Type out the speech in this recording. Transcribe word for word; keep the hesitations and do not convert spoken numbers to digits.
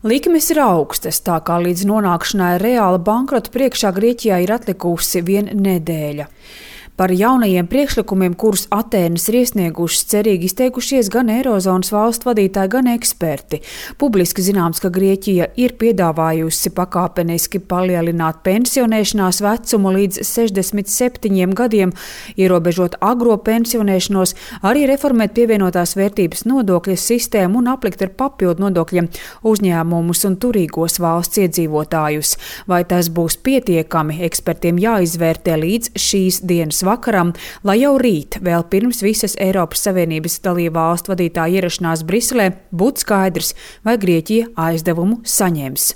Likmes ir augstas, tā kā līdz nonākšanai reāla bankrota priekšā Grieķijā ir atlikusi vien nedēļa. Par jaunajiem priekšlikumiem, kurus Atēnas ir iesniegušas, cerīgi izteikušies gan Eirozonas valstu vadītāji, gan eksperti. Publiski zināms, ka Grieķija ir piedāvājusi pakāpeniski palielināt pensionēšanās vecumu līdz sešdesmit septiņiem gadiem, ierobežot agro pensionēšanos, arī reformēt pievienotās vērtības nodokļa sistēmu un aplikt ar papildu nodokļiem uzņēmumus un turīgos valsts iedzīvotājus. Vai tas būs pietiekami, ekspertiem jāizvērtē līdz šīs dienas vakaram, lai jau rīt, vēl pirms visas Eiropas Savienības dalību valstu vadītāju ierašanās Briselē, būtu skaidrs, vai Grieķija aizdevumu saņems.